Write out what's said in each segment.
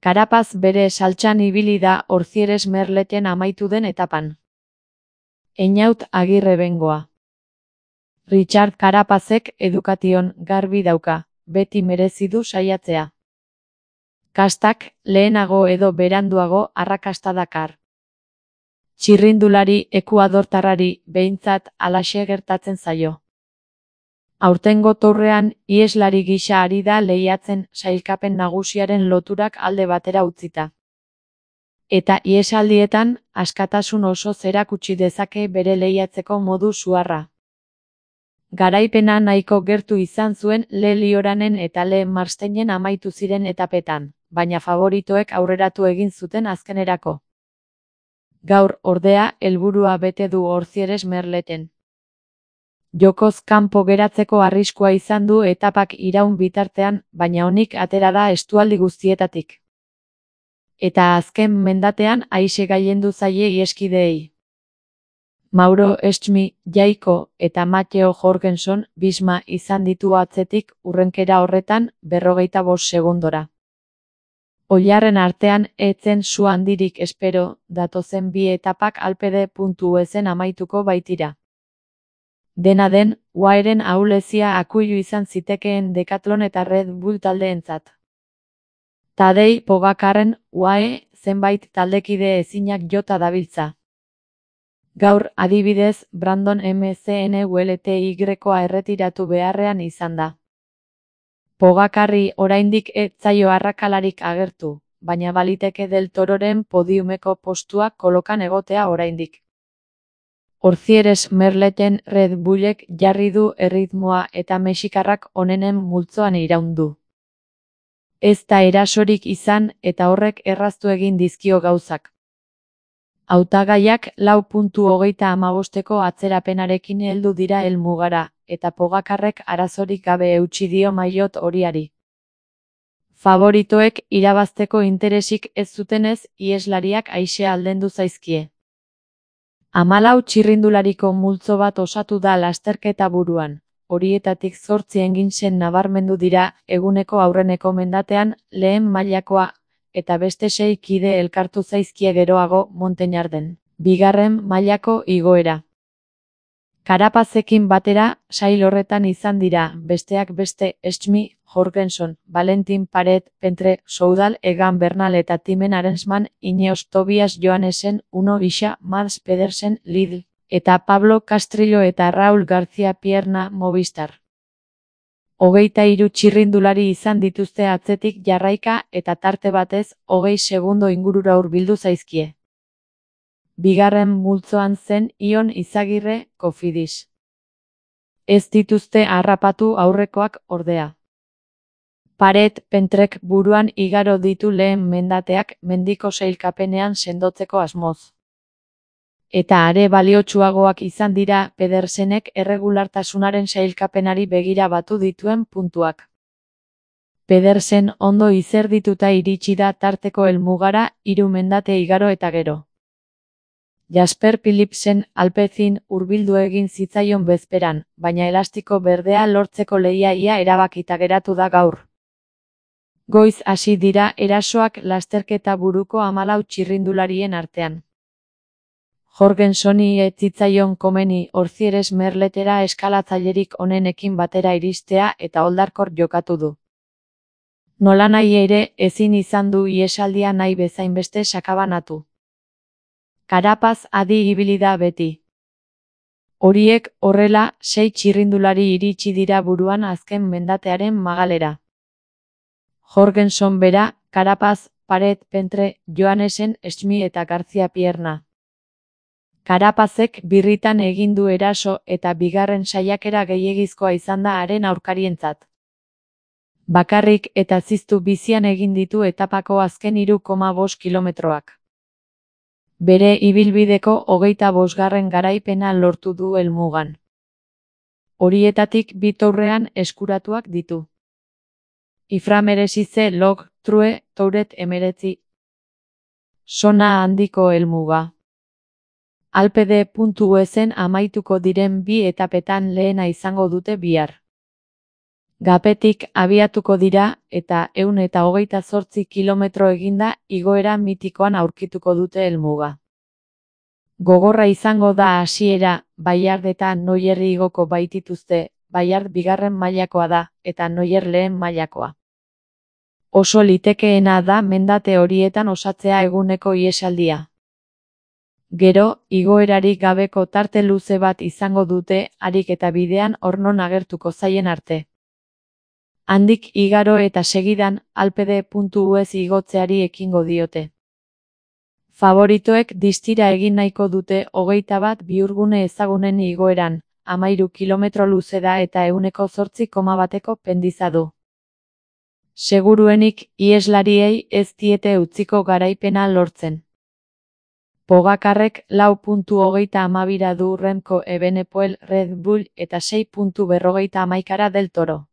Carapaz bere saltsan ibili da Orcieres Merleten amaitu den etapan. Einaut Agirre bengoa. Richard Carapazek edukation garbi dauka, beti merezi du saiatzea. Kastak, lehenago edo beranduago arrakasta dakar. Txirrindulari ekuadortarrari behintzat halaxe gertatzen zaio. Aurtengo tourrean iheslari gisa ari da lehiatzen sailkapen nagusiaren loturak alde batera utzita. Eta ihesaldietan askatasun osoz erakutsi dezake bere lehiatzeko modu suharra. Garaipena nahiko gertu izan zuen Le Lioranen eta Le Marsteinen amaitu ziren etapetan, baina favoritoek aurreratu egin zuten azkenerako. Gaur, ordea, helburua bete du Orcieres Merleten. Jokoz kanpo geratzeko arriskua izan du etapak iraun bitartean, baina onik atera da estualdi guztietatik. Eta azken mendatean aise gailendu zaie iheskideei. Mauro Estmi, Jaiko eta Mateo Jorgenson Bisma izan ditu atzetik hurrenkera horretan 45 segundora. Oilarren artean etzen su handirik espero, datozen bi etapak Alpede.esen amaituko baitira. Dena den, UAEren ahulezia akuilu izan zitekeen Decathlon eta Red Bull taldeentzat. Tadej Pogacarren UAE zenbait taldekide ezinak jota dabiltza. Gaur, adibidez, Brandon McNulty-a erretiratu beharrean izan da. Pogacarri oraindik ez zaio arrakalarik agertu, baina baliteke Del Tororen podiumeko postuak kolokan egotea oraindik. Orcieres Merleten Red Bullek jarri du erritmoa eta mexikarrak onenen multzoan iraun du. Ez da erasorik izan eta horrek erraztu egin dizkio gauzak. Hautagaiak 4:35 atzerapenarekin heldu dira helmugara, eta Pogacarrek arazorik gabe eutsi dio maillot horiari. Favoritoek irabazteko interesik ez zutenez, iheslariak aise aldendu zaizkie. 14 txirrindulariko multzo bat osatu da lasterketa buruan, horietatik 8 enginsen nabarmendu dira eguneko aurreneko mendatean lehen mailakoa, eta beste 6 kide elkartu zaizkie geroago Montagnarden, bigarren mailako igoera. Carapazekin batera, sail horretan izan dira, besteak beste, Estmi, Jorgenson, Valentin Paret, Pentre, Soudal, Egan Bernal eta Timen Arensman, Ineos Tobias Joannesen, Uno Isa, Mads Pedersen, Lidl, eta Pablo Castrillo eta Raúl García Pierna Movistar. 23 txirrindulari izan dituzte atzetik jarraika eta tarte batez 20 segundo ingurura hurbildu zaizkie. Bigarren multzoan zen Ion Izagirre, Cofidis. Ez dituzte harrapatu aurrekoak ordea. Paret Pentrek buruan igaro ditu lehen mendateak mendiko sailkapenean sendotzeko asmoz. Eta are baliotsuagoak izan dira Pedersenek erregulartasunaren sailkapenari begira batu dituen puntuak. Pedersen ondo izerdituta iritsi da tarteko helmugara 3 mendate igaro eta gero. Jasper Philipsen Alpecin hurbildu egin zitzaion bezperan, baina elastiko berdea lortzeko lehia ia erabakita geratu da gaur. Goiz hasi dira erasoak lasterketa buruko 14 txirrindularien artean. Jorgensoni ez zitzaion komeni Orcieres Merletera eskalatzailerik onenekin batera iristea eta oldarkor jokatu du. Nolanahi ere ezin izan du ihesaldia nahi bezainbeste sakabanatu. Carapaz adi ibili da beti. Horiek horrela 6 txirrindulari iritsi dira buruan azken mendatearen magalera. Jorgenson bera, Carapaz, Paret, Pentre, Joannesen, Estmi eta García Pierna. Carapazek birritan egin du eraso eta bigarren saiakera gehiegizkoa izan da haren aurkarientzat. Bakarrik eta ziztu bizian egin ditu etapako azken 3,5 kilometroak. Bere ibilbideko 25. garaipena lortu du helmugan. Horietatik 2 tourrean eskuratuak ditu. Iframeresize Log, True, Touret 19. Sona handiko helmuga. Alpede.esen amaituko diren 2 etapetan lehena izango dute bihar. Gapetik abiatuko dira eta 128 kilometro eginda igoera mitikoan aurkituko dute helmuga. Gogorra izango da hasiera, Ballard eta Noyer igoko baitituzte, Ballard bigarren mailakoa da, eta Noyer lehen mailakoa. Oso litekeena da mendate horietan osatzea eguneko ihesaldia. Gero, igoerarik gabeko tarte luze bat izango dute, harik eta bidean ornon agertuko zaien arte. Handik igaro eta segidan, alpede.us igotzeari ekingo diote. Favoritoek distira egin nahiko dute 21 bihurgune ezagunen igoeran, 13 kilometro luze da eta 108,1 pendiza du. Seguruenik, iheslariei ez diete utziko garaipena lortzen. Pogacarrek 4,32 du Remco Evenepoel Red Bull eta 6,51 del Toro.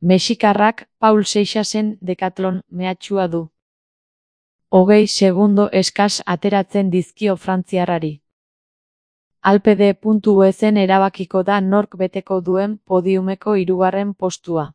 Mexikarrak Paul Seixasen Decathlon mehatxua du. 20 segundo eskas ateratzen dizkio frantziarrari. Alpede.usen erabakiko da nork beteko duen podiumeko 3. postua.